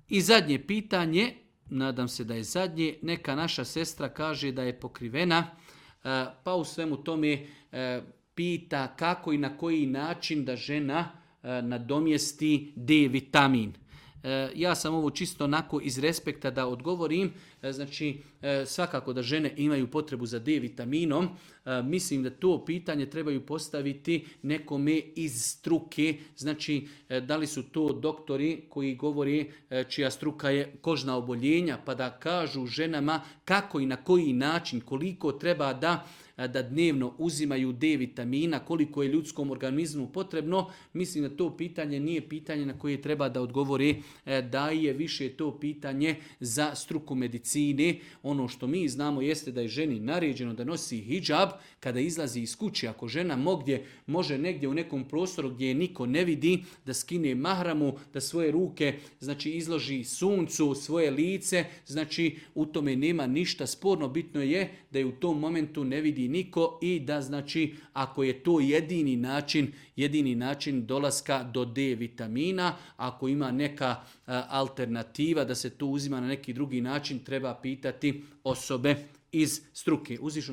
I zadnje pitanje, nadam se da je zadnje, neka naša sestra kaže da je pokrivena, pa u svemu tome pita kako i na koji način da žena nadomjesti D vitamin. Ja sam ovo čisto onako iz respekta da odgovorim, znači svakako da žene imaju potrebu za D vitaminom, mislim da to pitanje trebaju postaviti nekome iz struke, znači da li su to doktori koji govori čija struka je kožna oboljenja, pa da kažu ženama kako i na koji način, koliko treba da dnevno uzimaju D vitamina, koliko je ljudskom organizmu potrebno, mislim da to pitanje nije pitanje na koje treba da odgovori da je više to pitanje za struku medicine. Ono što mi znamo jeste da je ženi naređeno da nosi hidžab kada izlazi iz kuće. Ako žena može negdje u nekom prostoru gdje je niko ne vidi, da skine mahramu, da svoje ruke znači izloži suncu, svoje lice, znači u tome nema ništa sporno. Bitno je da je u tom momentu ne vidi niko i da znači ako je to jedini način dolaska do D vitamina, ako ima neka alternativa da se to uzima na neki drugi način, treba pitati osobe iz struke. Uzvišnog